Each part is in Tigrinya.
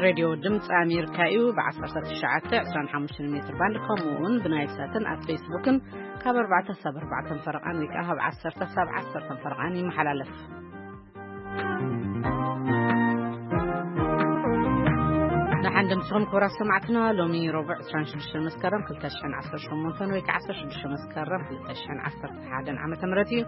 ሬድዮ ድምፂ ኣሜሪካ እዩ። ብ19፣ 25 ሜትር ባንድ፣ ከምኡ እውን ብናይል ሳትን ኣብ ፌስቡክን ካብ ኣርባዕተ ሳብ ኣርባዕተ ፈረቓን ወይ ከዓ ካብ ዓሰርተ ሳብ ዓሰርተ ፈረቓን ይመሓላለፍ። ንሓን ድምፅኹም ክቡራት ሰማዕትና፣ ሎሚ ረቡዕ ዕስራን ሽዱሽተ መስከረም ክልተ ሽሕን ዓሰርተ ሸሞንተን ወይ ከዓ ዓሰርተ ሽዱሽተ መስከረም ክልተ ሽሕን ዓሰርተ ሓደን ዓመተ ምህረት እዩ።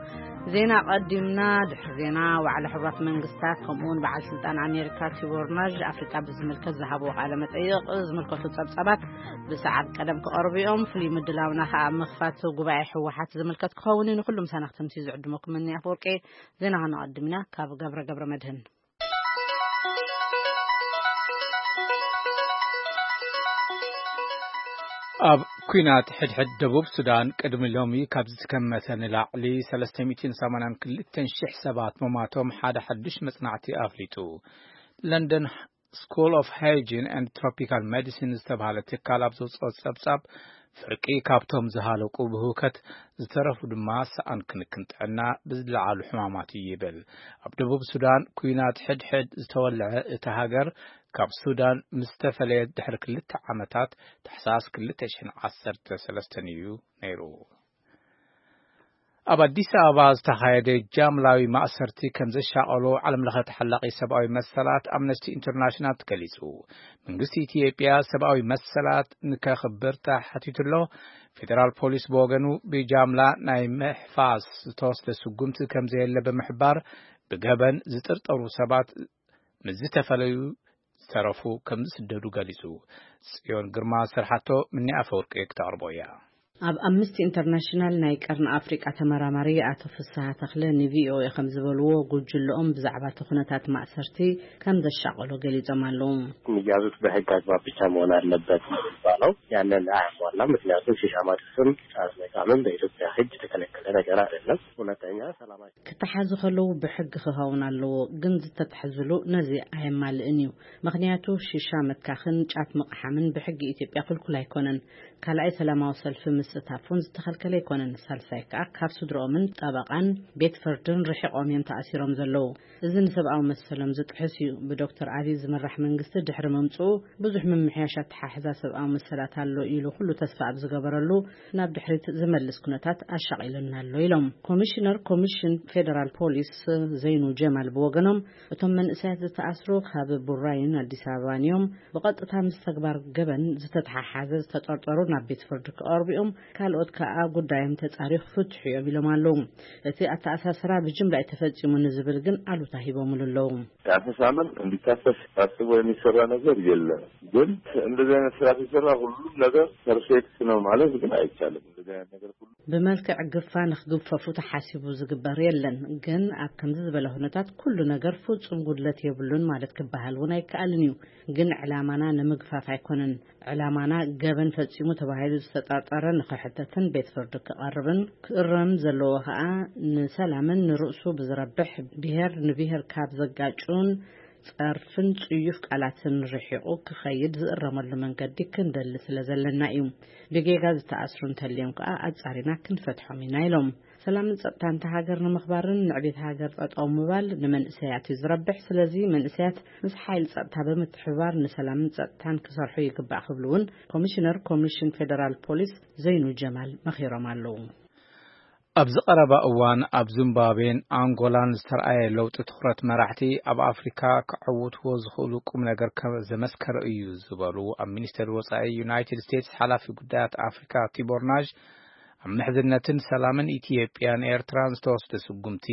ዜና ቀዲምና። ድሕሪ ዜና፣ ዋዕላ ሕቡራት መንግስታት ከምኡ እውን በዓል ስልጣን ኣሜሪካ ቲቦር ናዥ ኣፍሪቃ ብዝምልከት ዝሃብዎ ቃለ መጠይቕ ዝምልከቱ ጸብጻባት ብሰዓብ ቀደም ክቐርቡ እዮም። ፍሉይ ምድላውና ከዓ ምኽፋት ጉባኤ ህወሓት ዝምልከት ክኸውን እዩ። ንኩሉ ምሳና ክትምሲ ዝዕድመኩም እኒ ኣፈወርቂ። ዜና ከነቐድም ኢና። ካብ ገብረ ገብረ መድህን። ኣብ ኲናት ሕድሕድ ደቡብ ሱዳን ቅድሚ ሎሚ ካብ ዝትከመተ ንላዕሊ ሰለስተ ሚእትን ሰማንያን ክልተን ሽሕ ሰባት ምሟቶም ሓደ ሓድሽ መጽናዕቲ ኣፍሊጡ። ለንደን ስኩል ኦፍ ሃይጂን ኤንድ ትሮፒካል ሜዲሲን ዝተባህለ ትካል ኣብ ዘውፅኦ ጸብጻብ፣ ፍርቂ ካብቶም ዝሃለቁ ብህውከት፣ ዝተረፉ ድማ ሰኣን ክንክን ጥዕና ብዝለዓሉ ሕማማት እዩ ይብል። ኣብ ደቡብ ሱዳን ኲናት ሕድሕድ ዝተወልዐ እታ ሃገር፣ ካብ ሱዳን ምስ ተፈለየት ድሕሪ ክልተ ዓመታት፣ ታሕሳስ ክልተ ሽሕን ዓሰርተ ሰለስተን እዩ ነይሩ። ኣብ ኣዲስ ኣበባ ዝተኻየደ ጃምላዊ ማእሰርቲ ከም ዘሻቐሎ ዓለምለኸ ተሓላቒ ሰብኣዊ መሰላት ኣምነስቲ ኢንተርናሽናል ገሊጹ። መንግስቲ ኢትዮጵያ ሰብኣዊ መሰላት ንከኽብር ተሓቲቱ ኣሎ። ፌደራል ፖሊስ ብወገኑ ብጃምላ ናይ ምሕፋስ ዝተወስደ ስጉምቲ ከም ዘየለ ብምሕባር፣ ብገበን ዝጥርጠሩ ሰባት ምስ ዝተፈለዩ ዝተረፉ ከም ዝስደዱ ገሊጹ። ጽዮን ግርማ ዝሰርሓቶ ምኒ ኣፈወርቂ ክተቕርቦ እያ። ኣብ ኣምነስቲ ኢንተርናሽናል ናይ ቀርኒ ኣፍሪቃ ተመራማሪ ኣቶ ፍስሃ ተኽለ ንቪኦኤ ከም ዝበልዎ፣ ጉጅለኦም ብዛዕባ እቲ ኩነታት ማእሰርቲ ከም ዘሻቐሎ ገሊጾም ኣለዉ። የሚያዙት በህግ አግባብ ብቻ መሆን አለበት ነው የሚባለው። ያንን አያሟላም። ምክንያቱም ሺሻ ማጨስም ጫት መቃምም በኢትዮጵያ ህግ የተከለከለ ነገር አይደለም። ሁለተኛ ሰላማዊ ክተሓዙ ከለዉ ብሕጊ ክኸውን ኣለዎ፣ ግን ዝተታሕዙሉ ነዚ ኣየማልእን እዩ። ምኽንያቱ ሽሻ ምትካኽን ጫት ምቕሓምን ብሕጊ ኢትዮጵያ ክልኩል ኣይኮነን። ካልኣይ፣ ሰላማዊ ሰልፊ ምስታፍ እውን ዝተኸልከለ ኣይኮነን። ሳልሳይ ከኣ፣ ካብ ስድርኦምን ጠበቓን ቤት ፍርድን ርሒቖም እዮም ተኣሲሮም ዘለዉ። እዚ ንሰብኣዊ መሰሎም ዝጥሕስ እዩ። ብዶክተር ኣቢይ ዝምራሕ መንግስቲ ድሕሪ ምምፅኡ ብዙሕ ምምሕያሽ ኣተሓሕዛ ሰብኣዊ መሰላት ኣሎ ኢሉ ኩሉ ተስፋ ኣብ ዝገበረሉ፣ ናብ ድሕሪት ዝመልስ ኩነታት ኣሻቒሉና ኣሎ ኢሎም። ኮሚሽነር ኮሚሽን ፌደራል ፖሊስ ዘይኑ ጀማል ብወገኖም፣ እቶም መንእሰያት ዝተኣስሩ ካብ ቡራዩን ኣዲስ ኣበባን እዮም። ብቐጥታ ምስ ተግባር ገበን ዝተተሓሓዘ ዝተጠርጠሩ ናብ ቤት ፍርዲ ክቐርቡ እዮም። ካልኦት ከኣ ጉዳዮም ተጻርዩ ክፍትሑ እዮም ኢሎም ኣለዉ። እቲ ኣተኣሳስራ ብጅምላ እዩ ተፈጺሙ ንዝብል ግን ኣሉታ ሂቦምሉ ኣለዉ። የአፈሳ መልክ እንዲታፈስ ታስቦ የሚሰራ ነገር የለም። ግን እንደዚህ አይነት ስራ ሲሰራ ሁሉም ነገር ፐርፌክት ነው ማለት ግን አይቻልም። እንደዚህ አይነት ነገር ሁሉ ብመልክዕ ግፋ ንክግፈፉ ተሓሲቡ ዝግበር የለን። ግን ኣብ ከምዚ ዝበለ ኩነታት ኩሉ ነገር ፍጹም ጉድለት የብሉን ማለት ክበሃል እውን ኣይከኣልን እዩ። ግን ዕላማና ንምግፋፍ ኣይኮነን። ዕላማና ገበን ፈጺሙ ተባሂሉ ዝተጠርጠረ ንክሕተትን ቤት ፍርዲ ክቐርብን፣ ክእረም ዘለዎ ከኣ ንሰላምን ንርእሱ ብዝረብሕ ብሄር ንብሄር ካብ ዘጋጩን ጸርፍን ጽዩፍ ቃላትን ርሒቑ ክኸይድ ዝእረመሉ መንገዲ ክንደሊ ስለ ዘለና እዩ። ብጌጋ ዝተኣስሩ እንተልዮም ከኣ ኣጻሪና ክንፈትሖም ኢና ኢሎም። ሰላምን ጸጥታን እታ ሃገር ንምኽባርን ንዕቤት ሃገር ጠጠው ምባል ንመንእሰያት እዩ ዝረብሕ። ስለዚ መንእሰያት ምስ ሓይሊ ጸጥታ ብምትሕብባር ንሰላምን ጸጥታን ክሰርሑ ይግባእ ክብሉ እውን ኮሚሽነር ኮሚሽን ፌደራል ፖሊስ ዘይኑ ጀማል መኺሮም ኣለዉ። ኣብዚ ቀረባ እዋን ኣብ ዚምባብዌን ኣንጎላን ዝተረኣየ ለውጢ ትኹረት መራሕቲ ኣብ ኣፍሪካ ክዕውትዎ ዝኽእሉ ቁም ነገር ከም ዘመስከረ እዩ ዝበሉ ኣብ ሚኒስቴር ወፃኢ ዩናይትድ ስቴትስ ሓላፊ ጉዳያት ኣፍሪካ ቲቦር ናዥ፣ ኣብ ምሕዝነትን ሰላምን ኢትዮጵያን ኤርትራን ዝተወስደ ስጉምቲ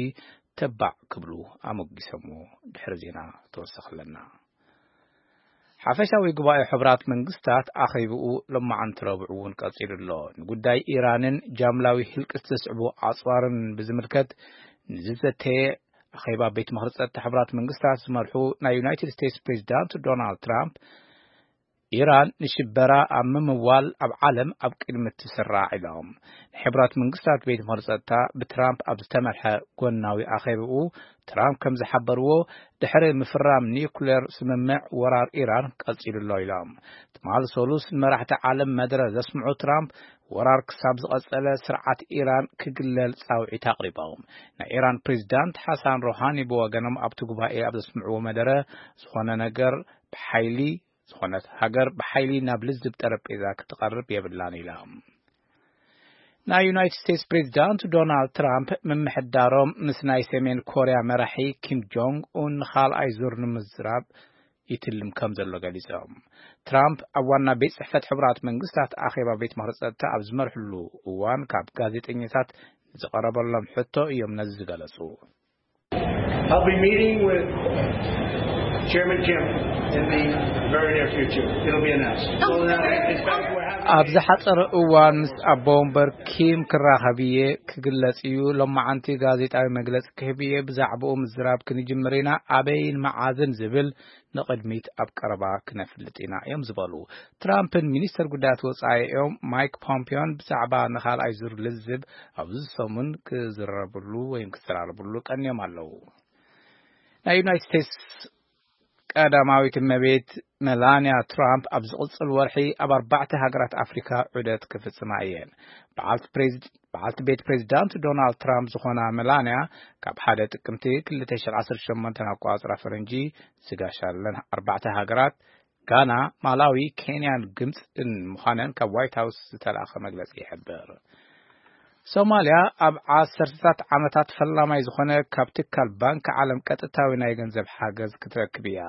ተባዕ ክብሉ ኣሞጊሰሞ። ድሕሪ ዜና ተወሰኸለና። ሓፈሻዊ ጉባኤ ሕቡራት መንግስታት ኣኼብኡ ሎማዓንቲ ረቡዕ እውን ቀጺሉ ኣሎ። ንጉዳይ ኢራንን ጃምላዊ ህልቂ ዝተስዕቡ ኣጽዋርን ብዝምልከት ንዝዘተየ ኣኼባ ቤት ምኽሪ ጸጥታ ሕቡራት መንግስታት ዝመርሑ ናይ ዩናይትድ ስቴትስ ፕሬዚዳንት ዶናልድ ትራምፕ ኢራን ንሽበራ ኣብ ምምዋል ኣብ ዓለም ኣብ ቅድሚ ትስራዕ ኢሎም። ንሕቡራት መንግስታት ቤት ምኽሪ ጸጥታ ብትራምፕ ኣብ ዝተመርሐ ጎናዊ ኣኼብኡ፣ ትራምፕ ከም ዝሓበርዎ፣ ድሕሪ ምፍራም ኒውክሌር ስምምዕ፣ ወራር ኢራን ቀጺሉ ኣሎ ኢሎም። ትማል ሰሉስ ንመራሕቲ ዓለም መደረ ዘስምዑ ትራምፕ፣ ወራር ክሳብ ዝቐጸለ ስርዓት ኢራን ክግለል ጻውዒት ኣቕሪቦም። ናይ ኢራን ፕሬዚዳንት ሓሳን ሮሃኒ ብወገኖም ኣብቲ ጉባኤ ኣብ ዘስምዕዎ መደረ፣ ዝኾነ ነገር ብሓይሊ ዝኾነት ሃገር ብሓይሊ ናብ ልዝብ ጠረጴዛ ክትቐርብ የብላን ኢሎም። ናይ ዩናይትድ ስቴትስ ፕሬዚዳንት ዶናልድ ትራምፕ ምምሕዳሮም ምስ ናይ ሰሜን ኮርያ መራሒ ኪም ጆንግ ኡን ንኻልኣይ ዙር ንምዝራብ ይትልም ከም ዘሎ ገሊጾም። ትራምፕ ኣብ ዋና ቤት ጽሕፈት ሕቡራት መንግስታት ኣኼባ ቤት ምኽሪ ጸጥታ ኣብ ዝመርሕሉ እዋን፣ ካብ ጋዜጠኛታት ንዝቐረበሎም ሕቶ እዮም ነዚ ዝገለጹ። I'll be meeting with Chairman Kim in the very near future. It'll be announced. So now, in fact, we're having ኣብ ዝሓጸረ እዋን ምስ ኣቦ ወንበር ኪም ክራኸብ እየ፣ ክግለጽ እዩ። ሎማዓንቲ ጋዜጣዊ መግለጺ ክህብ እየ። ብዛዕባኡ ምዝራብ ክንጅምር ኢና። ኣበይን መዓዝን ዝብል ንቕድሚት ኣብ ቀረባ ክነፍልጥ ኢና እዮም ዝበሉ። ትራምፕን ሚኒስተር ጉዳያት ወጻኢኦም ማይክ ፖምፒዮን ብዛዕባ ንኻልኣይ ዙር ልዝብ ኣብዚ ሰሙን ክዝረብሉ ወይም ክዘራረብሉ ቀንዮም ኣለዉ። ናይ ዩናይትድ ስቴትስ ቀዳማዊት እመቤት መላንያ ትራምፕ ኣብ ዝቕጽል ወርሒ ኣብ ኣርባዕተ ሃገራት ኣፍሪካ ዑደት ክፍጽማ እየን። በዓልቲ ፕሬዚድ-፣ በዓልቲ ቤት ፕሬዚዳንት ዶናልድ ትራምፕ ዝኾና መላንያ፣ ካብ ሓደ ጥቅምቲ ክልተ ሽሕን ዓሰርተ ሸሞንተን ኣቆጻጽራ ፈረንጂ ዝጋሻለን ኣርባዕተ ሃገራት፣ ጋና፣ ማላዊ፣ ኬንያን ግብጽን ምዃነን ካብ ዋይት ሃውስ ዝተላእኸ መግለጺ ይሕብር። ሶማልያ ኣብ ዓሰርተታት ዓመታት ፈላማይ ዝኾነ ካብ ትካል ባንክ ዓለም ቀጥታዊ ናይ ገንዘብ ሓገዝ ክትረክብ እያ።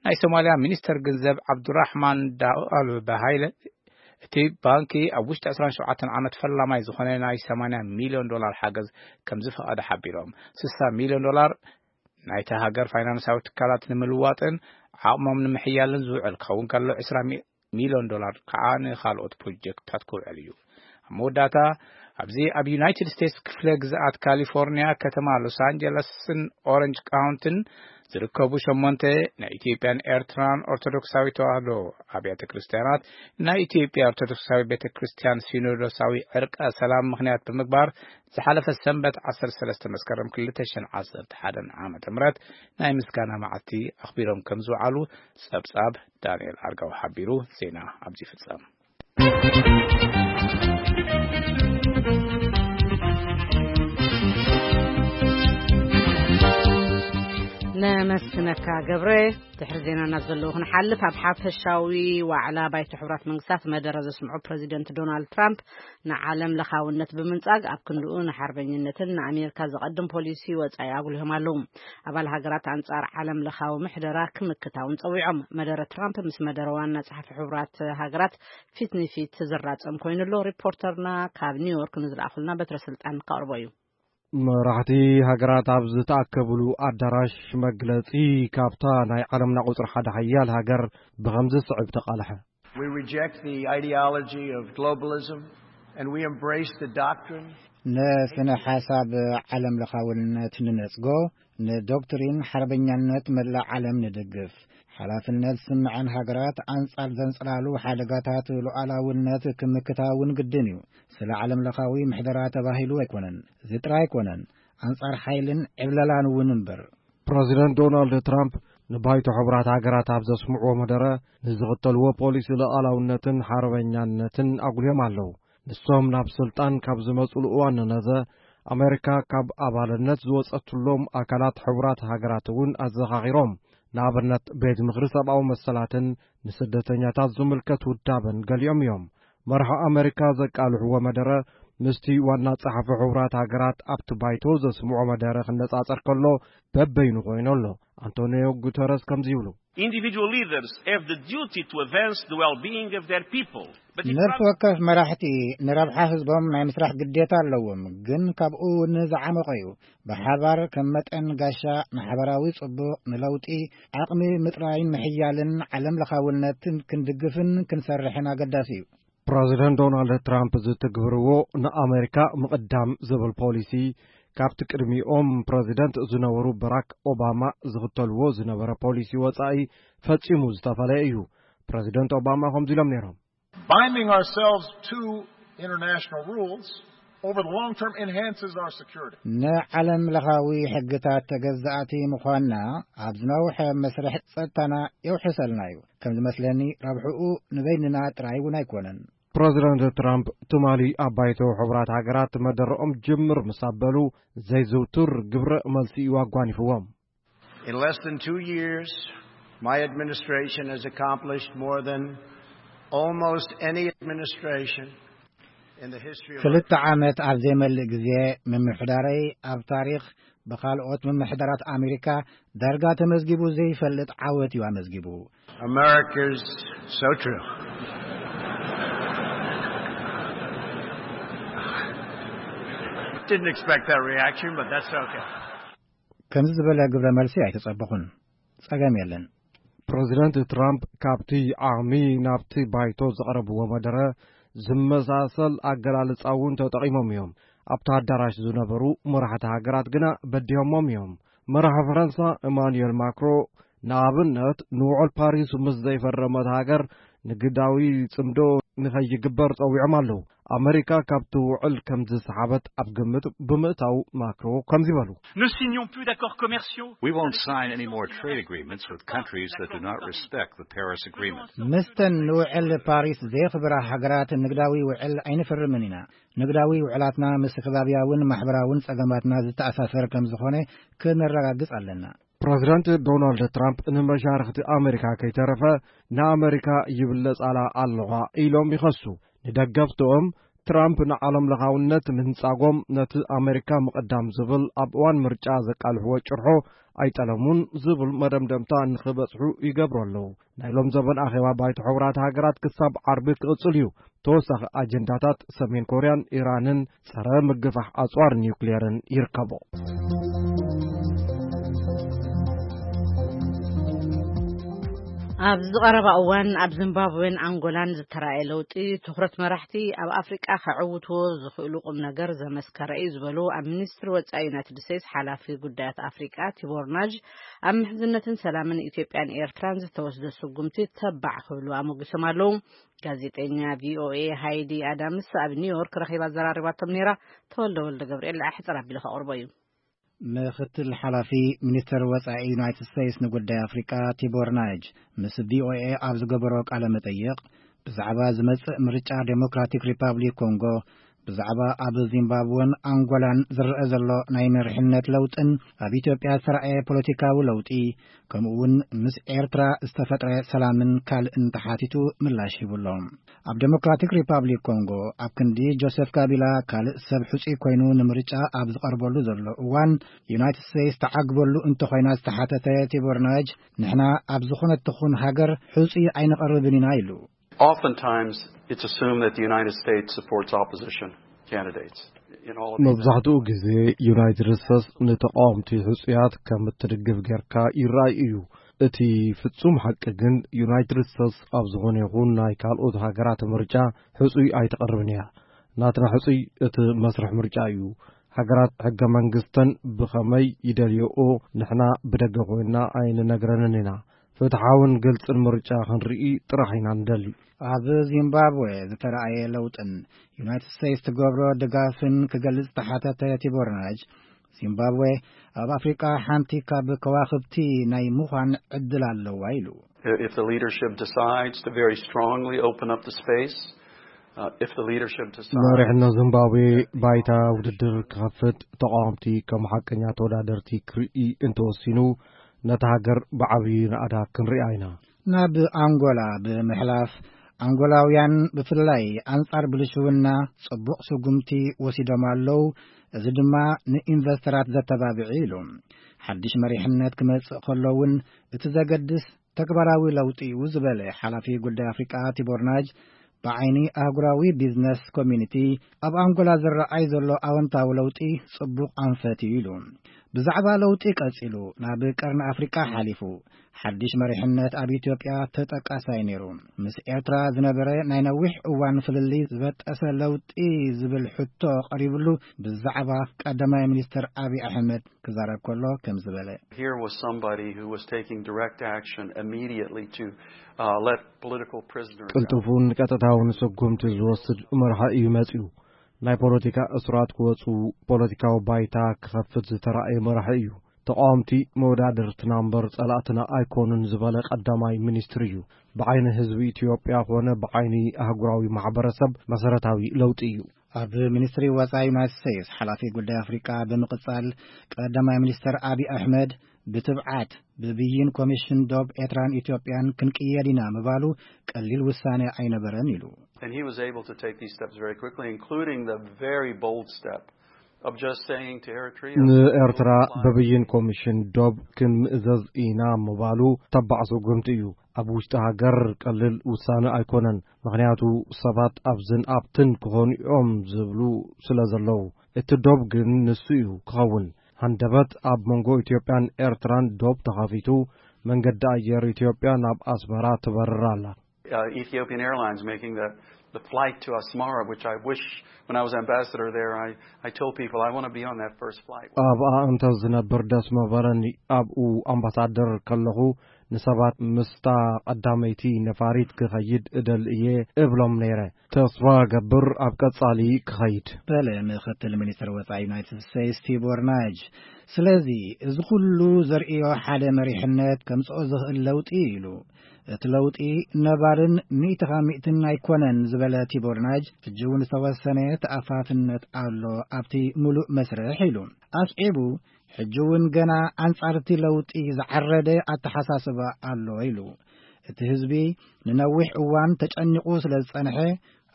ናይ ሶማልያ ሚኒስተር ገንዘብ ዓብዱራሕማን ዳኣል ባሃይለ፣ እቲ ባንኪ ኣብ ውሽጢ ዕስራን ሸውዓተን ዓመት ፈላማይ ዝኾነ ናይ ሰማንያ ሚልዮን ዶላር ሓገዝ ከም ዝፈቐደ ሓቢሮም። ስሳ ሚልዮን ዶላር ናይታ ሃገር ፋይናንሳዊ ትካላት ንምልዋጥን ዓቕሞም ንምሕያልን ዝውዕል ክኸውን ከሎ፣ ዕስራ ሚልዮን ዶላር ከዓ ንኻልኦት ፕሮጀክትታት ክውዕል እዩ። ኣብ መወዳእታ፣ ኣብዚ ኣብ ዩናይትድ ስቴትስ ክፍለ ግዝኣት ካሊፎርኒያ፣ ከተማ ሎስ ኣንጀለስን ኦረንጅ ካውንትን ዝርከቡ ሸሞንተ ናይ ኢትዮጵያን ኤርትራን ኦርቶዶክሳዊ ተዋህዶ ኣብያተ ክርስቲያናት፣ ናይ ኢትዮጵያ ኦርቶዶክሳዊ ቤተ ክርስቲያን ሲኖዶሳዊ ዕርቀ ሰላም ምኽንያት ብምግባር፣ ዝሓለፈ ሰንበት ዓሰርተ ሰለስተ መስከረም ክልተ ሽሕን ዓሰርተ ሓደን ዓመተ ምህረት ናይ ምስጋና መዓልቲ ኣኽቢሮም ከም ዝውዓሉ ጸብጻብ ዳንኤል ኣርጋው ሓቢሩ። ዜና ኣብዚ ይፍጸም። ነመስግነካ ገብረ። ድሕሪ ዜናና ዘለዉ ክንሓልፍ፣ ኣብ ሓፈሻዊ ዋዕላ ባይቶ ሕቡራት መንግስታት መደረ ዘስምዑ ፕረዚደንት ዶናልድ ትራምፕ፣ ንዓለም ለኻውነት ብምንጻግ ኣብ ክንድኡ ንሓርበኝነትን ንኣሜሪካ ዘቐድም ፖሊሲ ወጻኢ ኣጉሊሆም ኣለዉ። ኣባል ሃገራት ኣንጻር ዓለም ለኻዊ ምሕደራ ክምክታ እውን ጸዊዖም። መደረ ትራምፕ ምስ መደረ ዋና ጸሓፊ ሕቡራት ሃገራት ፊት ንፊት ዝራጸም ኮይኑ ኣሎ። ሪፖርተርና ካብ ኒውዮርክ ንዝለኣኹልና በትረ ስልጣን ከቕርቦ እዩ። መራሕቲ ሃገራት ኣብ ዝተኣከብሉ ኣዳራሽ መግለጺ ካብታ ናይ ዓለምና ቁጽሪ ሓደ ሓያል ሃገር ብኸምዚ ዝስዕብ ተቓልሐ። We reject the ideology of globalism and we embrace the doctrine ንስነ ሓሳብ ዓለም ለኻውነት ንነጽጎ፣ ንዶክትሪን ሓርበኛነት መላእ ዓለም ንድግፍ። ሓላፍነት ዝስምዐን ሃገራት ኣንጻር ዘንጸላሉ ሓደጋታት ሉዓላውነት ክምክታ እውን ግድን እዩ። ስለ ዓለም ለኻዊ ምሕደራ ተባሂሉ ኣይኮነን። እዚ ጥራይ ኣይኮነን፣ ኣንጻር ሓይልን ዕብለላን እውን እምበር። ፕረዚደንት ዶናልድ ትራምፕ ንባይቶ ሕቡራት ሃገራት ኣብ ዘስምዕዎ መደረ፣ ንዝኽተልዎ ፖሊሲ ሉዓላውነትን ሓርበኛነትን ኣጉልዮም ኣለዉ። ንሶም ናብ ስልጣን ካብ ዝመጽሉ እዋን ንነዘ፣ ኣሜሪካ ካብ ኣባልነት ዝወጸትሎም ኣካላት ሕቡራት ሃገራት እውን ኣዘኻኺሮም። ንኣብነት፣ ቤት ምኽሪ ሰብኣዊ መሰላትን ንስደተኛታት ዝምልከት ውዳበን ገሊኦም እዮም። መርሒ ኣሜሪካ ዘቃልሕዎ መደረ ምስቲ ዋና ጸሓፊ ሕቡራት ሃገራት ኣብቲ ባይቶ ዘስምዖ መደረ ክነጻጸር ከሎ በበይኑ ኮይኑ ኣሎ። ኣንቶኒዮ ጉተረስ ከምዚ ይብሉ። Individual leaders have the duty to advance the well-being of their people. But if ነፍሲ ወከፍ መራሕቲ ንረብሓ ህዝቦም ናይ ምስራሕ ግዴታ ኣለዎም፣ ግን ካብኡ እውን ዝዓመቐ እዩ። ብሓባር ከም መጠን ጋሻ ንሓበራዊ ጽቡቕ፣ ንለውጢ፣ ዓቕሚ ምጥራይን ምሕያልን ዓለም ለኻውነትን ክንድግፍን ክንሰርሕን ኣገዳሲ እዩ። ፕረዚደንት ዶናልድ ትራምፕ ዝትግብርዎ ንኣመሪካ ምቕዳም ዝብል ፖሊሲ፣ ካብቲ ቅድሚኦም ፕረዚደንት ዝነበሩ በራክ ኦባማ ዝኽተልዎ ዝነበረ ፖሊሲ ወጻኢ ፈጺሙ ዝተፈለየ እዩ። ፕረዚደንት ኦባማ ከምዚ ኢሎም ነይሮም። Binding ourselves to international rules over the long term enhances our security. ንዓለም ለኻዊ ሕግታት ተገዛእቲ ምዃንና ኣብ ዝነውሐ መስርሕ ጸጥታና የውሕሰልና እዩ። ከም ዝመስለኒ ረብሕኡ ንበይንና ጥራይ እውን ኣይኮነን። ፕረዚደንት ትራምፕ ትማሊ ኣብ ባይቶ ሕቡራት ሃገራት መደረኦም ጅምር ምስ ኣበሉ ዘይዝውቱር ግብረ መልሲ እዩ ኣጓኒፍዎም። In less than two years, my administration has accomplished more than almost any administration in the history of our ክልተ ዓመት ኣብ ዘይመልእ ግዜ ምምሕዳረይ ኣብ ታሪኽ ብኻልኦት ምምሕዳራት ኣሜሪካ ዳርጋ ተመዝጊቡ ዘይፈልጥ ዓወት እዩ ኣመዝጊቡ። America's so true. Didn't expect that reaction, but that's okay. ከምዚ ዝበለ ግብረ መልሲ ኣይተጸበኹን። ጸገም የለን። ፕረዚደንት ትራምፕ ካብቲ ዓቕሚ ናብቲ ባይቶ ዘቕረብዎ መደረ ዝመሳሰል ኣገላልጻ እውን ተጠቒሞም እዮም። ኣብቲ ኣዳራሽ ዝነበሩ መራሕቲ ሃገራት ግና በዲሆሞም እዮም። መራሒ ፈረንሳ ኢማኑኤል ማክሮ ንኣብነት ንውዕል ፓሪስ ምስ ዘይፈረመት ሃገር ንግዳዊ ጽምዶ ንኸይግበር ጸዊዖም ኣለዉ። ኣመሪካ ካብቲ ውዕል ከም ዝሰሓበት ኣብ ግምት ብምእታው ማክሮ ከምዚ በሉ። Nous signons plus d'accords commerciaux. We won't sign any more trade agreements with countries that do not respect the Paris Agreement. ምስተን ንውዕል ፓሪስ ዘየኽብራ ሃገራት ንግዳዊ ውዕል ኣይንፍርምን ኢና። ንግዳዊ ውዕላትና ምስ ከባብያውን ማሕበራውን ጸገማትና ዝተኣሳሰር ከም ዝኾነ ክነረጋግጽ ኣለና። ፕረዚደንት ዶናልድ ትራምፕ ንመሻርኽቲ ኣመሪካ ከይተረፈ ንኣመሪካ ይብለጻላ ኣለዋ ኢሎም ይኸሱ። ንደገፍትኦም ትራምፕ ንዓለም ለኻውነት ምንጻጎም ነቲ ኣመሪካ ምቕዳም ዝብል ኣብ እዋን ምርጫ ዘቃልሕዎ ጭርሖ ኣይጠለሙን ዝብል መደምደምታ ንኽበጽሑ ይገብሩ ኣለዉ። ናይ ሎም ዘበን ኣኼባ ባይቶ ሕቡራት ሃገራት ክሳብ ዓርቢ ክቕጽል እዩ። ተወሳኺ ኣጀንዳታት ሰሜን ኮርያን ኢራንን ጸረ ምግፋሕ ኣጽዋር ኒውክሌርን ይርከቦ። ኣብ ዝቐረባ እዋን ኣብ ዚምባብዌን ኣንጎላን ዝተራእየ ለውጢ ትኹረት መራሕቲ ኣብ ኣፍሪቃ ከዕውትዎ ዝኽእሉ ቁም ነገር ዘመስከረ እዩ ዝበሉ ኣብ ሚኒስትሪ ወጻኢ ዩናይትድ ስቴትስ ሓላፊ ጉዳያት ኣፍሪቃ ቲቦር ናዥ ኣብ ምሕዝነትን ሰላምን ኢትዮጵያን ኤርትራን ዝተወስደ ስጉምቲ ተባዕ ክብሉ ኣሞጊሶም ኣለዉ። ጋዜጠኛ ቪኦኤ ሃይዲ ኣዳምስ ኣብ ኒውዮርክ ረኺባ ኣዘራሪባቶም ነይራ። ተወልደ ወልደ ገብርኤል ኣሕጽር ኣቢሉ ከቕርቦ እዩ። ምክትል ሓላፊ ሚኒስተር ወጻኢ ዩናይትድ ስቴትስ ንጉዳይ ኣፍሪቃ ቲቦር ናጅ ምስ ቪኦኤ ኣብ ዝገበሮ ቃለ መጠይቕ ብዛዕባ ዝመጽእ ምርጫ ዴሞክራቲክ ሪፓብሊክ ኮንጎ፣ ብዛዕባ ኣብ ዚምባብወን ኣንጎላን ዝረአ ዘሎ ናይ መሪሕነት ለውጥን ኣብ ኢትዮጵያ ዝተራእየ ፖለቲካዊ ለውጢ፣ ከምኡ እውን ምስ ኤርትራ ዝተፈጥረ ሰላምን ካልእን ተሓቲቱ ምላሽ ሂቡ ኣሎ። ኣብ ዴሞክራቲክ ሪፓብሊክ ኮንጎ ኣብ ክንዲ ጆሴፍ ካቢላ ካልእ ሰብ ሕጹይ ኮይኑ ንምርጫ ኣብ ዝቐርበሉ ዘሎ እዋን፣ ዩናይትድ ስቴትስ ተዓግበሉ እንተኾይና ዝተሓተተ ቲቦር ናጅ፣ ንሕና ኣብ ዝኾነት ትኹን ሃገር ሕጹይ ኣይንቐርብን ኢና ኢሉ። Oftentimes, it's assumed that the United States supports opposition candidates in all of these. መብዛሕትኡ ግዜ ዩናይትድ ስቴትስ ንተቃወምቲ ሕጹያት ከም እትድግፍ ጌርካ ይረኣይ እዩ። እቲ ፍጹም ሓቂ ግን ዩናይትድ ስቴትስ ኣብ ዝኾነ ይኹን ናይ ካልኦት ሃገራት ምርጫ ሕጹይ ኣይተቕርብን እያ። ናትና ሕጹይ እቲ መስርሕ ምርጫ እዩ። ሃገራት ሕገ መንግስተን ብኸመይ ይደልዮኦ ንሕና ብደገ ኮይንና ኣይንነግረንን ኢና። ፍትሓውን ግልጽን ምርጫ ክንርኢ ጥራሕ ኢና ንደሊ። ኣብ ዚምባብዌ ዝተራእየ ለውጥን ዩናይትድ ስቴትስ ትገብሮ ድጋፍን ክገልጽ ዝተሓተተ ቲቦር ናጅ፣ ዚምባብዌ ኣብ ኣፍሪቃ ሓንቲ ካብ ከዋኽብቲ ናይ ምዃን ዕድል ኣለዋ ኢሉ። If the leadership decides to very strongly open up the space, uh, if the leadership decides መሪሕነት ዚምባብዌ ባይታ ውድድር ክኸፍት፣ ተቃወምቲ ከም ሓቀኛ ተወዳደርቲ ክርኢ እንተወሲኑ፣ ነታ ሃገር ብዓብዪ ናእዳ ክንሪኣ ኢና። ናብ ኣንጎላ ብምሕላፍ፣ ኣንጎላውያን ብፍላይ ኣንጻር ብልሽውና ጽቡቕ ስጉምቲ ወሲዶም ኣለዉ፣ እዚ ድማ ንኢንቨስተራት ዘተባብዕ ኢሉ። ሓድሽ መሪሕነት ክመጽእ ከሎ እውን እቲ ዘገድስ ተግባራዊ ለውጢ እዩ ዝበለ ሓላፊ ጉዳይ ኣፍሪቃ ቲቦር ናጅ፣ ብዓይኒ ኣህጉራዊ ቢዝነስ ኮሚኒቲ ኣብ ኣንጎላ ዝረኣይ ዘሎ ኣወንታዊ ለውጢ ጽቡቕ ኣንፈት እዩ ኢሉ። ብዛዕባ ለውጢ ቀጺሉ ናብ ቀርኒ ኣፍሪቃ ሓሊፉ። ሓድሽ መሪሕነት ኣብ ኢትዮጵያ ተጠቃሳይ ነይሩ። ምስ ኤርትራ ዝነበረ ናይ ነዊሕ እዋን ፍልልይ ዝበጠሰ ለውጢ ዝብል ሕቶ ቀሪብሉ ብዛዕባ ቀዳማይ ሚኒስትር ኣብይ ኣሕመድ ክዛረብ ከሎ ከም ዝበለ። Here was somebody who was taking direct action immediately to uh, let political prisoners out. ቅልጡፉን ቀጥታውን ስጉምቲ ዝወስድ መርሓ እዩ መጺኡ። ናይ ፖለቲካ እሱራት ክወጹ፣ ፖለቲካዊ ባይታ ክኸፍት ዝተራእየ መራሒ እዩ። ተቃወምቲ መወዳድርትና እምበር ጸላእትና ኣይኮኑን ዝበለ ቀዳማይ ሚኒስትር እዩ። ብዓይኒ ህዝቢ ኢትዮጵያ ኮነ ብዓይኒ ኣህጉራዊ ማሕበረሰብ መሰረታዊ ለውጢ እዩ። ኣብ ሚኒስትሪ ወጻኢ ዩናይትድ ስቴትስ ሓላፊ ጉዳይ ኣፍሪቃ ብምቕጻል ቀዳማይ ሚኒስትር ኣብይ ኣሕመድ ብትብዓት ብብይን ኮሚሽን ዶብ ኤርትራን ኢትዮጵያን ክንቅየድ ኢና ምባሉ ቀሊል ውሳኔ ኣይነበረን ኢሉ። And he was able to take these steps very quickly, including the very bold step of just saying to Eritrea, ንኤርትራ በብይን ኮሚሽን ዶብ ክንምእዘዝ ኢና ምባሉ ተባዕ ስጉምቲ እዩ። ኣብ ውሽጢ ሃገር ቀሊል ውሳነ ኣይኮነን። ምኽንያቱ ሰባት ኣብዝን ኣብትን ክኾኑ እዮም ዝብሉ ስለ ዘለዉ። እቲ ዶብ ግን ንሱ እዩ ክኸውን። ሃንደበት ኣብ መንጎ ኢትዮጵያን ኤርትራን ዶብ ተኸፊቱ፣ መንገዲ ኣየር ኢትዮጵያ ናብ ኣስመራ ትበርር ኣላ። Uh, Ethiopian Airlines making the, the flight to Asmara, which I wish, when I was ambassador there, I, I told people I want to be on that first flight. ኣብኣ እንተ ዝነብር ደስ መበለኒ። ኣብኡ ኣምባሳደር ከለኹ ንሰባት ምስታ ቀዳመይቲ ነፋሪት ክኸይድ እደሊ እየ እብሎም ነይረ። ተስፋ ገብር ኣብ ቀጻሊ ክኸይድ። በለ ምክትል ሚኒስትር ወጻኢ ዩናይትድ ስቴትስ ቲቦር ናጅ። ስለዚ እዚ ኩሉ ዘርእዮ ሓደ መሪሕነት ከምጽኦ ዝኽእል ለውጢ ኢሉ። እቲ ለውጢ ነባርን ሚእቲ ካብ ሚእትን ኣይኮነን ዝበለ ቲቦር ናጅ፣ ሕጂ እውን ዝተወሰነ ተኣፋፍነት ኣሎ ኣብቲ ሙሉእ መስርሕ ኢሉ። ኣስዒቡ፣ ሕጂ እውን ገና ኣንጻር እቲ ለውጢ ዝዓረደ ኣተሓሳስባ ኣሎ ኢሉ። እቲ ህዝቢ ንነዊሕ እዋን ተጨኒቑ ስለ ዝጸንሐ፣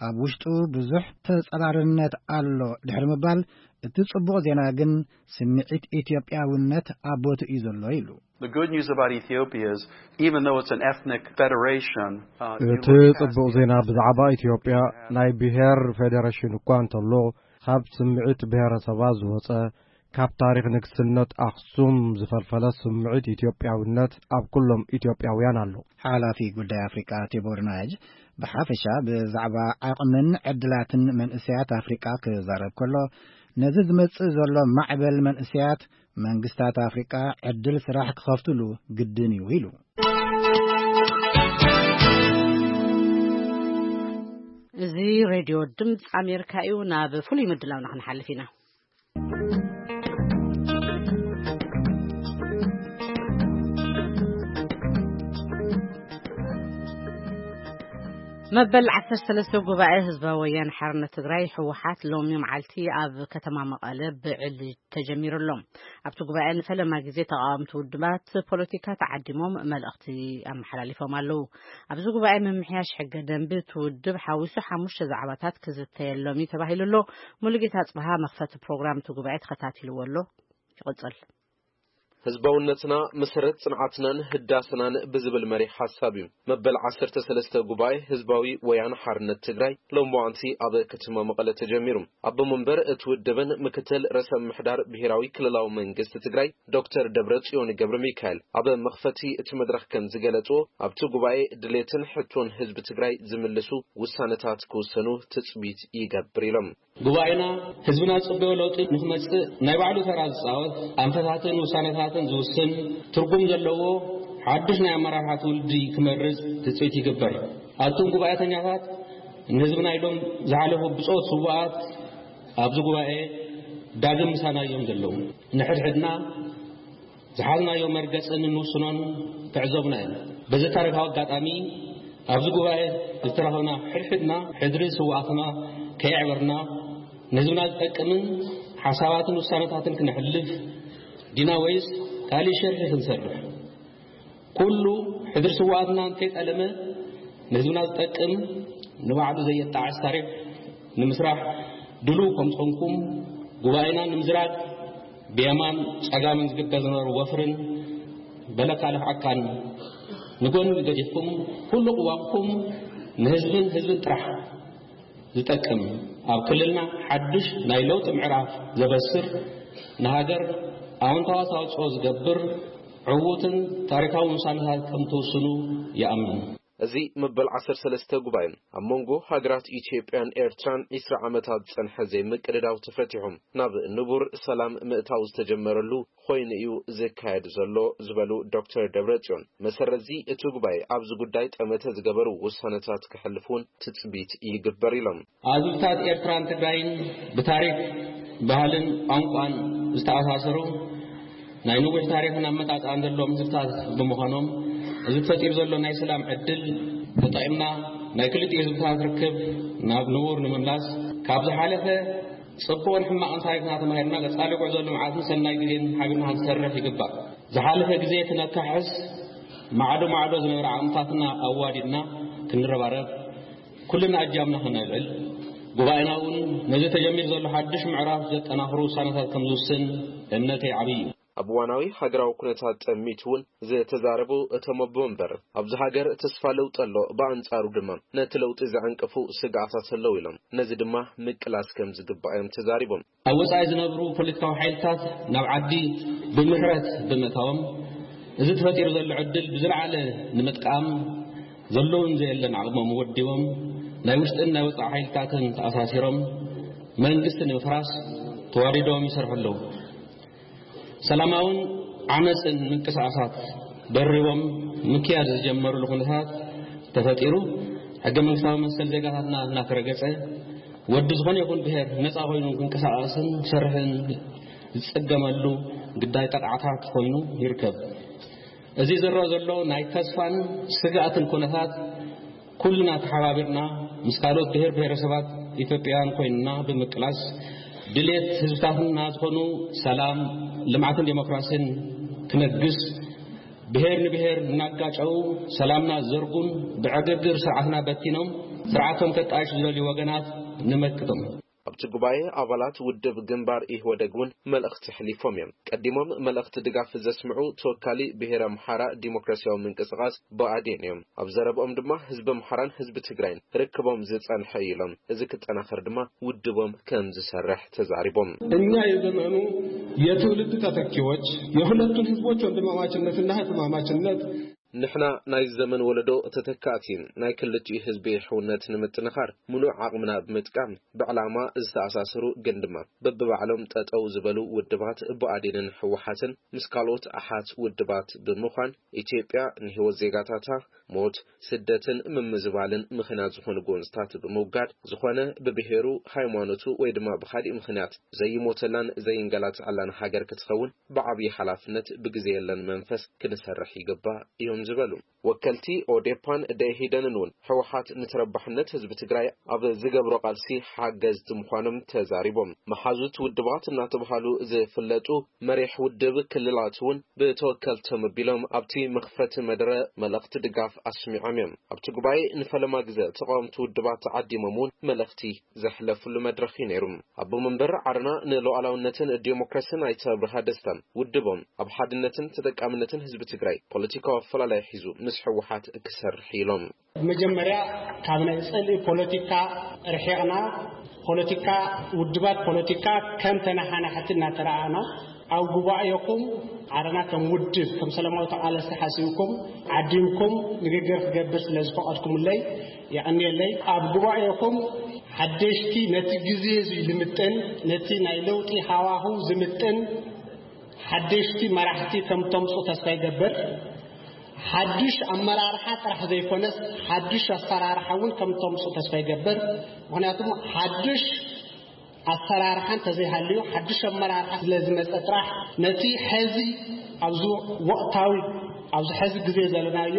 ኣብ ውሽጡ ብዙሕ ተጸራርነት ኣሎ ድሕሪ ምባል፣ እቲ ጽቡቕ ዜና ግን ስምዒት ኢትዮጵያውነት ኣብ ቦትኡ እዩ ዘሎ ኢሉ። The good news about Ethiopia is, even though it's an ethnic federation, uh, you እቲ look past ጽቡቕ the ዜና ethnicity ብዛዕባ ኢትዮጵያ ናይ ብሔር ፌዴሬሽን እኳ እንተሎ፣ ካብ ስምዒት ብሔረሰባት ዝወጸ፣ ካብ ታሪኽ ንግስነት ኣኽሱም ዝፈልፈለ ስምዒት ኢትዮጵያውነት ኣብ ኩሎም ኢትዮጵያውያን ኣሎ። ሓላፊ ጉዳይ ኣፍሪቃ ቲቦር ናጅ ብሓፈሻ ብዛዕባ ዓቕምን ዕድላትን መንእሰያት ኣፍሪቃ ክዛረብ ከሎ፣ ነዚ ዝመጽእ ዘሎ ማዕበል መንእሰያት መንግስታት ኣፍሪቃ ዕድል ስራሕ ክኸፍትሉ ግድን እዩ ኢሉ። እዚ ሬድዮ ድምፂ ኣሜሪካ እዩ። ናብ ፍሉይ ምድላውና ክንሓልፍ ኢና። መበል ዓሰርተ ሰለስተ ጉባኤ ህዝባዊ ወያነ ሓርነት ትግራይ፣ ህወሓት፣ ሎሚ መዓልቲ ኣብ ከተማ መቐለ ብዕሊ ተጀሚሩ ኣሎ። ኣብቲ ጉባኤ ንፈለማ ግዜ ተቃወምቲ ውድባት ፖለቲካ ተዓዲሞም መልእኽቲ ኣመሓላሊፎም ኣለዉ። ኣብዚ ጉባኤ ምምሕያሽ ሕገ ደንቢ እቲ ውድብ ሓዊሱ ሓሙሽተ ዛዕባታት ክዝተየሎም እዩ ተባሂሉ ኣሎ። ሙሉጌታ ኣጽብሃ መኽፈቲ ፕሮግራም እቲ ጉባኤ ተኸታቲልዎ ኣሎ። ይቕጽል። ህዝባውነትና መሰረት ጽንዓትናን ህዳስናን ብዝብል መሪሕ ሓሳብ እዩ መበል ዓሰርተ ሰለስተ ጉባኤ ህዝባዊ ወያነ ሓርነት ትግራይ ሎምዋንቲ ኣብ ከተማ መቐለ ተጀሚሩ። ኣቦ መንበር እቲ ውድብን ምክትል ርእሰ ምምሕዳር ብሔራዊ ክልላዊ መንግስቲ ትግራይ ዶክተር ደብረ ጽዮን ገብረ ሚካኤል ኣብ መኽፈቲ እቲ መድረኽ ከም ዝገለጽዎ፣ ኣብቲ ጉባኤ ድሌትን ሕቶን ህዝቢ ትግራይ ዝምልሱ ውሳነታት ክውሰኑ ትጽቢት ይገብር ኢሎም። ጉባኤና ህዝብና ዝጽበዮ ለውጢ ንክመጽእ ናይ ባዕሉ ተራ ዝጻወት፣ ኣንፈታትን ውሳነታትን ዝውስን፣ ትርጉም ዘለዎ ሓድሽ ናይ ኣመራርሓ ትውልዲ ክመርጽ ትጽቢት ይግበር። ኣቱም ጉባኤተኛታት፣ ንህዝብና ኢሎም ዝሓለፉ ብጾት ስውኣት ኣብዚ ጉባኤ ዳግም ምሳና እዮም ዘለዉ። ንሕድሕድና ዝሓዝናዮ መርገጽን እንውስኖን ተዕዘቡና ኢና። በዚ ታሪኻዊ ኣጋጣሚ ኣብዚ ጉባኤ ዝተረኸብና ሕድሕድና ሕድሪ ስውኣትና ከየዕበርና ንህዝብና ዝጠቅምን ሓሳባትን ውሳነታትን ክነሕልፍ ዲና ወይስ ካልእ ሸርሒ ክንሰርሕ? ኩሉ ሕድሪ ስውኣትና እንተይጠለመ ንህዝብና ዝጠቅም ንባዕሉ ዘየጣዕስ ታሪኽ ንምስራሕ ድሉው ከም ዝኾንኩም ጉባኤና ንምዝራግ ብየማን ጸጋምን ዝግበር ዝነበረ ወፍርን በለካ ልኽዓካን ንጎኒ ገዲፍኩም ኩሉ ቅዋምኩም ንህዝብን ህዝብን ጥራሕ ዝጠቅም ኣብ ክልልና ሓድሽ ናይ ለውጢ ምዕራፍ ዘበስር ንሃገር ኣወንታዊ ኣስተዋፅኦ ዝገብር ዕዉትን ታሪካዊ ውሳነታት ከም ትውስኑ ይኣምን። እዚ መበል ዓሰርተ ሰለስተ ጉባኤ ኣብ መንጎ ሃገራት ኢትዮጵያን ኤርትራን ዒስራ ዓመታት ዝጸንሐ ዘይምቅድዳው ተፈቲሑ ናብ ንቡር ሰላም ምእታው ዝተጀመረሉ ኮይኑ እዩ ዝካየድ ዘሎ ዝበሉ ዶክተር ደብረጽዮን፣ መሰረት እዚ እቲ ጉባኤ ኣብዚ ጉዳይ ጠመተ ዝገበሩ ውሳነታት ክሕልፍ እውን ትጽቢት ይግበር ኢሎም። ኣብ ህዝብታት ኤርትራን ትግራይን ብታሪክ፣ ባህልን ቋንቋን ዝተኣሳሰሩ ናይ ነዊሕ ታሪክን ኣመጻጽኣን ዘለዎም ህዝብታት ብምዃኖም፣ እዚ ተፈጢሩ ዘሎ ናይ ሰላም ዕድል ተጠቒምና ናይ ክልቲኡ ህዝብታት ርክብ ናብ ንቡር ንምምላስ፣ ካብ ዝሓለፈ ጽቡቕን ሕማቕን ታሪክና ተማሂርና፣ ቀጻሊ ጉዕዞ ልምዓትን ሰናይ ግዜን ሓቢርና ክንሰርሕ ይግባእ። ዝሓለፈ ግዜ ክነካሕስ፣ ማዕዶ ማዕዶ ዝነበረ ዓቕምታትና ኣዋዲድና ክንረባረብ፣ ኩልና ኣጃምና ከነልዕል፣ ጉባኤና እውን ነዚ ተጀሚሩ ዘሎ ሓድሽ ምዕራፍ ዘጠናኽሩ ውሳነታት ከም ዝውስን እምነተይ ዓብዪ እዩ። ኣብ እዋናዊ ሃገራዊ ኩነታት ጠሚቱ እውን ዝተዛረቡ እቶም ኣቦ መንበር፣ ኣብዚ ሃገር ተስፋ ለውጢ ኣሎ፣ ብኣንጻሩ ድማ ነቲ ለውጢ ዘዕንቅፉ ስግኣታት ኣለዉ ኢሎም። ነዚ ድማ ምቅላስ ከም ዝግባእ እዮም ተዛሪቦም። ኣብ ወጻኢ ዝነብሩ ፖለቲካዊ ሓይልታት ናብ ዓዲ ብምሕረት ብምእታዎም፣ እዚ ተፈጢሩ ዘሎ ዕድል ብዝለዓለ ንምጥቃም ዘለውን ዘየለን ዓቕሞም ወዲቦም፣ ናይ ውሽጥን ናይ ወጻኢ ሓይልታትን ተኣሳሲሮም መንግስቲ ንምፍራስ ተዋዲዶም ይሰርሑ ኣለዉ። ሰላማውን ዓመፅን ምንቅስቃሳት ደሪቦም ምክያድ ዝጀመሩሉ ኩነታት ተፈጢሩ፣ ሕገ መንግስታዊ መሰል ዜጋታትና እናተረገፀ፣ ወዲ ዝኾነ ይኹን ብሔር ነፃ ኮይኑ ክንቀሳቀስን ክሰርሕን ዝፅገመሉ ግዳይ ጠቕዓታት ኮይኑ ይርከብ። እዚ ዝረኣ ዘሎ ናይ ተስፋን ስግኣትን ኩነታት ኩልና ተሓባቢርና ምስ ካልኦት ብሔር ብሔረሰባት ኢትዮጵያውያን ኮይንና ብምቅላስ፣ ድሌት ህዝብታትና ዝኾኑ ሰላም፣ ልምዓትን ዴሞክራሲን ክነግስ፣ ብሔር ንብሔር እናጋጨው ሰላምና ዘርጉን ብዕግርግር ስርዓትና በቲኖም ስርዓቶም ከጣይሹ ዝደልዩ ወገናት ንመክቶም። ኣብቲ ጉባኤ ኣባላት ውድብ ግንባር ኢህወደግ እውን መልእኽቲ ኣሕሊፎም እዮም። ቀዲሞም መልእኽቲ ድጋፍ ዘስምዑ ተወካሊ ብሔር ኣምሓራ ዲሞክራሲያዊ ምንቅስቃስ ብኣዴን እዮም። ኣብ ዘረብኦም ድማ ህዝቢ ኣምሓራን ህዝቢ ትግራይን ርክቦም ዝጸንሐ እዩ ኢሎም። እዚ ክጠናኸር ድማ ውድቦም ከም ዝሰርሕ ተዛሪቦም። እኛ የዘመኑ የትውልድ ተተኪዎች የሁለቱን ህዝቦች ወንድማማችነትና ህትማማችነት ንሕና ናይ ዘመን ወለዶ ተተካእቲ ናይ ክልቲኡ ህዝቢ ሕውነት ንምጥንኻር ምሉእ ዓቕምና ብምጥቃም ብዕላማ ዝተኣሳሰሩ ግን ድማ በብባዕሎም ጠጠው ዝበሉ ውድባት ብኣዴንን ህወሓትን ምስ ካልኦት ኣሓት ውድባት ብምዃን ኢትዮጵያ ንህይወት ዜጋታታ ሞት፣ ስደትን ምምዝባልን ምኽንያት ዝኾኑ ጎንፅታት ብምውጋድ ዝኾነ ብብሄሩ፣ ሃይማኖቱ ወይ ድማ ብኻሊእ ምኽንያት ዘይሞተላን ዘይንገላትዐላን ሃገር ክትኸውን ብዓብዪ ሓላፍነት ብግዜ የለን መንፈስ ክንሰርሕ ይግባእ እዮም ዝበሉ። ወከልቲ ኦዴፓን ደኢህዴንን እውን ህወሓት ንተረባሕነት ህዝቢ ትግራይ ኣብ ዝገብሮ ቃልሲ ሓገዝቲ ምዃኖም ተዛሪቦም። መሓዙት ውድባት እናተባሃሉ ዝፍለጡ መሪሕ ውድብ ክልላት እውን ብተወከልቶም ኣቢሎም ኣብቲ መኽፈቲ መደረ መልእኽቲ ድጋፍ ኣስሚዖም እዮም። ኣብቲ ጉባኤ ንፈለማ ግዜ ተቃወምቲ ውድባት ተዓዲሞም እውን መልእኽቲ ዘሕለፍሉ መድረኽ እዩ ነይሩ። ኣቦ መንበር ዓረና ንሉዓላውነትን ዲሞክራሲን ኣይተ ኣብርሃ ደስታ ውድቦም ኣብ ሓድነትን ተጠቃምነትን ህዝቢ ትግራይ ፖለቲካዊ ኣፈላላይ ሒዙ ምስ ህወሓት ክሰርሕ ኢሎም። መጀመርያ ካብ ናይ ጽልኢ ፖለቲካ ርሒቕና ፖለቲካ ውድባት ፖለቲካ ከም ተነሓናሕቲ እናተረኣና ኣብ ጉባኤኹም ዓረና ከም ውድብ ከም ሰላማዊ ተቓለስቲ ሓሲብኩም ዓዲምኩም ንግግር ክገብር ስለ ዝፈቐድኩምለይ የቐንየለይ። ኣብ ጉባኤኹም ሓደሽቲ ነቲ ግዜ እዚ ልምጥን ነቲ ናይ ለውጢ ሃዋህው ዝምጥን ሓደሽቲ መራሕቲ ከም ተምፁ ተስፋ ይገብር። ሓድሽ ኣመራርሓ ጥራሕ ዘይኮነስ ሓድሽ ኣሰራርሓ እውን ከም ተምፁ ተስፋ ይገብር። ምክንያቱም ሓድሽ ኣሰራርሓ እንተዘይሃልዩ ሓድሽ ኣመራርሓ ስለ ዝመፀ ጥራሕ ነቲ ሐዚ ኣብዚ ወቕታዊ ኣብዚ ሐዚ ግዜ ዘለናዮ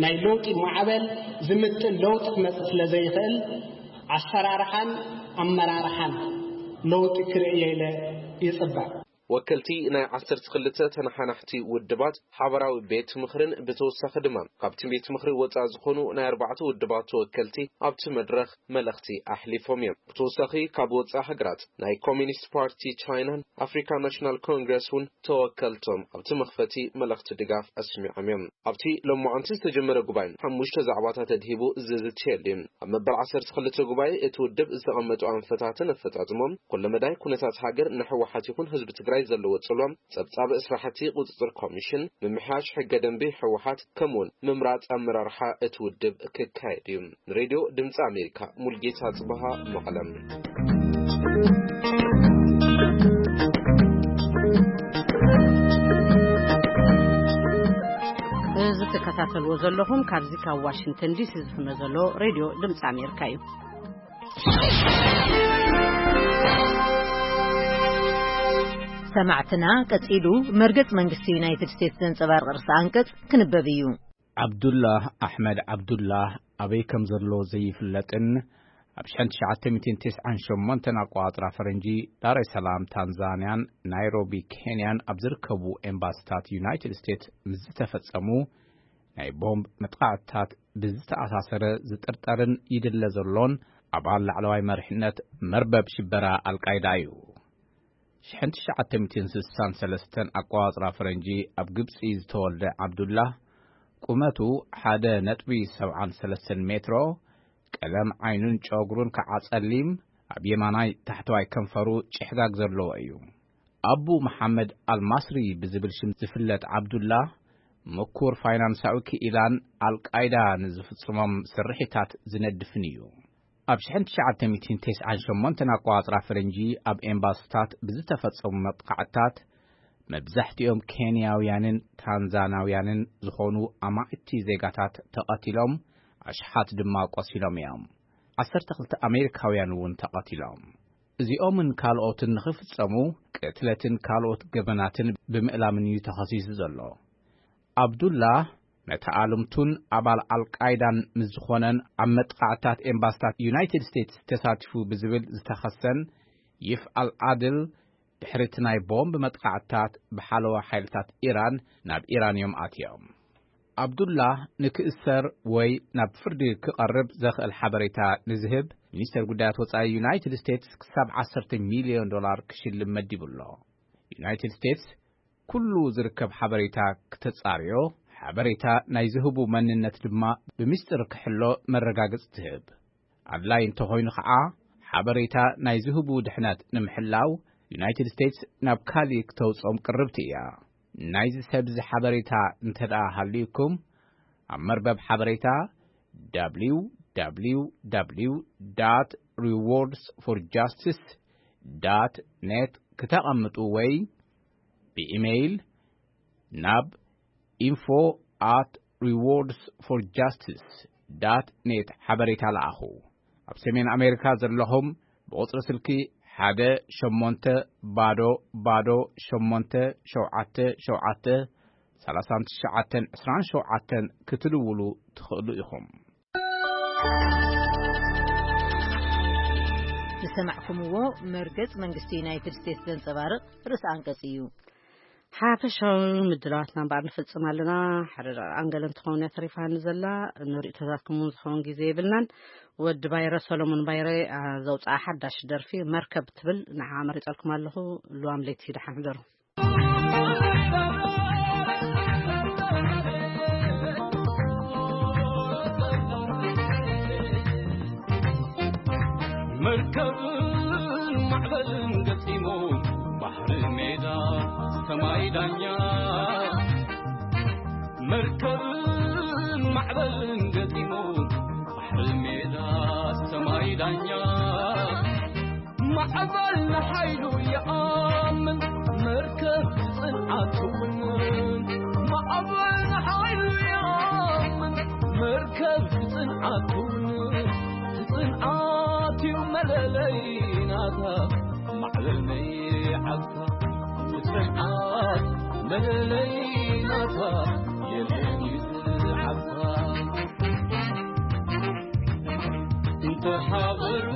ናይ ለውጢ ማዕበል ዝምጥን ለውጢ ክመፅእ ስለ ዘይኽእል ኣሰራርሓን ኣመራርሓን ለውጢ ክርእየ ኢለ ይፅበ። ወከልቲ ናይ ዓሰርተ ክልተ ተነሓናሕቲ ውድባት ሓበራዊ ቤት ምኽርን ብተወሳኺ ድማ ካብቲ ቤት ምኽሪ ወፃኢ ዝኾኑ ናይ ኣርባዕተ ውድባት ተወከልቲ ኣብቲ መድረኽ መልእኽቲ ኣሕሊፎም እዮም። ብተወሳኺ ካብ ወፃኢ ሃገራት ናይ ኮሚኒስት ፓርቲ ቻይናን ኣፍሪካ ናሽናል ኮንግረስ እውን ተወከልቶም ኣብቲ መኽፈቲ መልእኽቲ ድጋፍ ኣስሚዖም እዮም። ኣብቲ ሎማዓንቲ ዝተጀመረ ጉባኤ ሓሙሽተ ዛዕባታት ኣድሂቡ ዝዝትየሉ እዩ። ኣብ መበል ዓሰርተ ክልተ ጉባኤ እቲ ውድብ ዝተቐመጡ ኣንፈታትን ኣፈፃፅሞም ኩለመዳይ ኩነታት ሃገር ንህወሓት ይኹን ህዝቢ ትግራይ ዘለዎ ጽልዋ፣ ጸብጻብ ስራሕቲ ቁጽጽር ኮሚሽን፣ ምምሕያሽ ሕገ ደንቢ ህወሓት፣ ከምኡውን ምምራጽ ኣመራርሓ እቲ ውድብ ክካየድ እዩ። ንሬድዮ ድምጺ ኣሜሪካ፣ ሙልጌታ ጽበሃ፣ መቐለም። እዚ ትከታተልዎ ዘለኹም ካብዚ ካብ ዋሽንግተን ዲሲ ዝፍኖ ዘሎ ሬድዮ ድምፂ ኣሜሪካ እዩ። ሰማዕትና፣ ቀጺሉ መርገጽ መንግስቲ ዩናይትድ ስቴትስ ዘንጸባርቕ ርእሰ ኣንቀጽ ክንበብ እዩ። ዓብዱላህ ኣሕመድ ዓብዱላህ ኣበይ ከም ዘሎ ዘይፍለጥን ኣብ ሽሕን ትሽዓተ ሚእትን ተስዓን ሸሞንተን ኣቆጻጽራ ፈረንጂ ዳሬ ሰላም ታንዛንያን ናይሮቢ ኬንያን ኣብ ዝርከቡ ኤምባሲታት ዩናይትድ ስቴትስ ምስ ዝተፈጸሙ ናይ ቦምብ መጥቃዕትታት ብዝተኣሳሰረ ዝጥርጠርን ይድለ ዘሎን ኣባል ላዕለዋይ መሪሕነት መርበብ ሽበራ ኣልቃይዳ እዩ። ሽሕን ትሽዓተ ሚእትን ስሳን ሰለስተን ኣቆጻጽራ ፈረንጂ ኣብ ግብጺ ዝተወልደ ዓብዱላህ፣ ቁመቱ ሓደ ነጥቢ ሰብዓን ሰለስተን ሜትሮ፣ ቀለም ዓይኑን ጨጉሩን ከዓ ጸሊም፣ ኣብ የማናይ ታሕተዋይ ከንፈሩ ጭሕጋግ ዘለዎ እዩ። ኣቡ መሓመድ ኣልማስሪ ብዝብል ሽም ዝፍለጥ ዓብዱላህ፣ ምኩር ፋይናንሳዊ ክኢላን ኣልቃይዳ ንዝፍጽሞም ስርሒታት ዝነድፍን እዩ። ኣብ ሽሕን ትሽዓተ ሚእትን ተስዓን ሸሞንተን ኣቆጻጽራ ፈረንጂ ኣብ ኤምባሲታት ብዝተፈጸሙ መጥቃዕትታት መብዛሕትኦም ኬንያውያንን ታንዛናውያንን ዝኾኑ ኣማእቲ ዜጋታት ተቐቲሎም፣ ኣሽሓት ድማ ቆሲሎም እዮም። ዓሰርተ ክልተ ኣሜሪካውያን እውን ተቐቲሎም። እዚኦምን ካልኦትን ንኽፍጸሙ ቅትለትን ካልኦት ገበናትን ብምእላምን እዩ ተኸሲሱ ዘሎ። ዓብዱላህ መተኣልምቱን ኣባል ኣልቃይዳን ምስ ዝኾነን ኣብ መጥቃዕታት ኤምባስታት ዩናይትድ ስቴትስ ተሳቲፉ ብዝብል ዝተኸሰን ይፍ ኣልዓድል ድሕሪ እቲ ናይ ቦምብ መጥቃዕትታት ብሓለዋ ሓይልታት ኢራን ናብ ኢራን እዮም ኣትዮም። ዓብዱላህ ንክእሰር ወይ ናብ ፍርዲ ክቐርብ ዘኽእል ሓበሬታ ንዝህብ ሚኒስተር ጉዳያት ወጻኢ ዩናይትድ ስቴትስ ክሳብ ዓሰርተ ሚልዮን ዶላር ክሽልም መዲቡ ኣሎ። ዩናይትድ ስቴትስ ኩሉ ዝርከብ ሓበሬታ ክተጻርዮ፣ ሓበሬታ ናይ ዝህቡ መንነት ድማ ብምስጢር ክሕሎ መረጋገጽ ትህብ። ኣድላይ እንተኾይኑ ኸዓ፣ ሓበሬታ ናይ ዝህቡ ድሕነት ንምሕላው ዩናይትድ ስቴትስ ናብ ካሊ ክተውጽኦም ቅርብቲ እያ። ናይዚ ሰብ እዚ ሓበሬታ እንተ ደኣ ሃልዩኩም፣ ኣብ መርበብ ሓበሬታ www.rewardsforjustice.net ክተቐምጡ ወይ ብኢሜይል ናብ info@rewardsforjustice.net ሓበሬታ ለኣኹ። ኣብ ሰሜን ኣሜሪካ ዘለኹም ብቁጽሪ ስልኪ ሓደ ሸሞንተ ባዶ ባዶ ሸሞንተ ሸውዓተ ሸውዓተ ሰላሳን ትሽዓተን ዕስራን ሸውዓተን ክትድውሉ ትኽእሉ ኢኹም። ዝሰማዕኩምዎ መርገጽ መንግስቲ ዩናይትድ ስቴትስ ዘንጸባርቕ ርእሰ ኣንቀጽ እዩ። ሓፈሻዊ ምድላዋትና እምበኣር ንፍጽም ኣለና። ሓደ ደቂቕ ኣንገለ እንትኸውን እያ ተሪፋኒ ዘላ። ንርእይቶታትኩም እውን ዝኸውን ግዜ የብልናን። ወዲ ባይረ፣ ሰሎሞን ባይረ፣ ኣ፣ ዘውፅኣ ሓዳሽ ደርፊ መርከብ ትብል ንዓ መሪጸልኩም ኣለኹ። ልዋም ለይቲ ደሓን ሕደሩ። መርከብን ማዕበልን ገጢሙ፣ ባሕሪ ሜዳ ሰማይ ዳኛ። መርከብን ማዕበልን ገጢሙ፣ ባሕሪ ሜዳ ሰማይ ዳኛ። ማዕበል ንሓይሉ ይኣምን፣ መርከብ ጽንዓት እውን። ማዕበል ንሓይሉ ይኣምን፣ መርከብ ጽንዓት እውን። ጽንዓት እዩ መለለይ ናታ፣ ማዕበል መይዓልታ። ጽንዓት መለለይ ናታ፣ የለን እዩ ዝዓልታ። እንተሓበሩ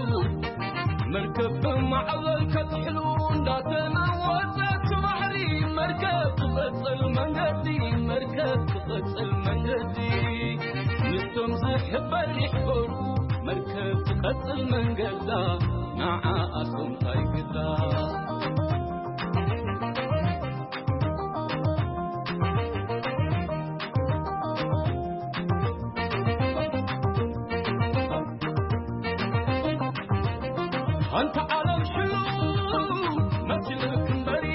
መርከብ ብማዕበል ከጥሕሉ እንዳተናወጸት ባሕሪ፣ መርከብ ትቐጽል መንገዲ፣ መርከብ ትቐጽል መንገዲ። ምስቶም ዝሕበር ይሕበሩ፣ መርከብ ትቐጽል መንገዳ፣ ንዓኣቶም ታይ ግዳ። ኣንታ ዓለም ሽሉ መሲልክ እምበሪ፣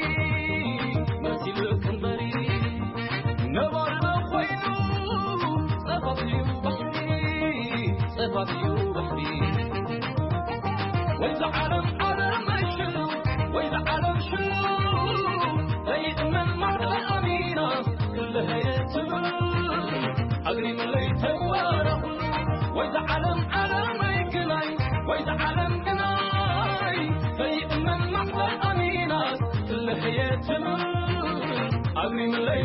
ዓለም ዓለመይ ሽሉ ወይ ዝዓለም ሽሉ ዘይእመን ማዕረ ኣሚና ክልሀየ ትብል ኣግሪምለይ ተዋረኹ ወይ ዝዓለም ዓለመይ ግናይ ወይ ዝዓለም ግናይ ዘይእመን ማዕረ ኣሚና ክልሀየ ትብል ኣግሪምለይ